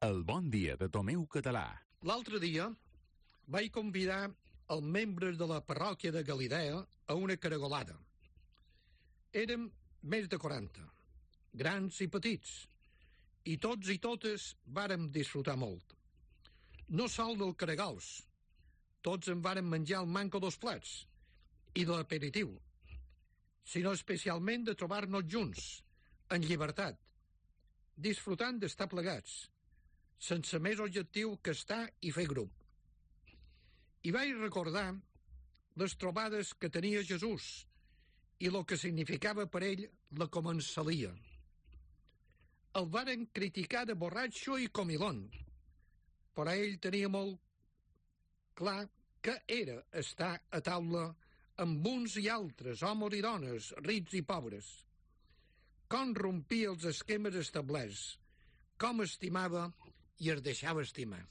El bon dia de Tomeu Català. L'altre dia vaig convidar els membres de la parròquia de Galilea a una caragolada. Érem més de 40, grans i petits, i tots i totes vàrem disfrutar molt. No sol del caragols, tots en vàrem menjar el manco dos plats, i de l'aperitiu, sinó especialment de trobar-nos junts, en llibertat, disfrutant d'estar plegats, sense més objectiu que estar i fer grup. I vaig recordar les trobades que tenia Jesús i el que significava per ell la començalia. El varen criticar de borratxo i comilón, però ell tenia molt clar que era estar a taula amb uns i altres, homes i dones, rics i pobres. Com rompia els esquemes establerts, com estimava i es deixava estimar.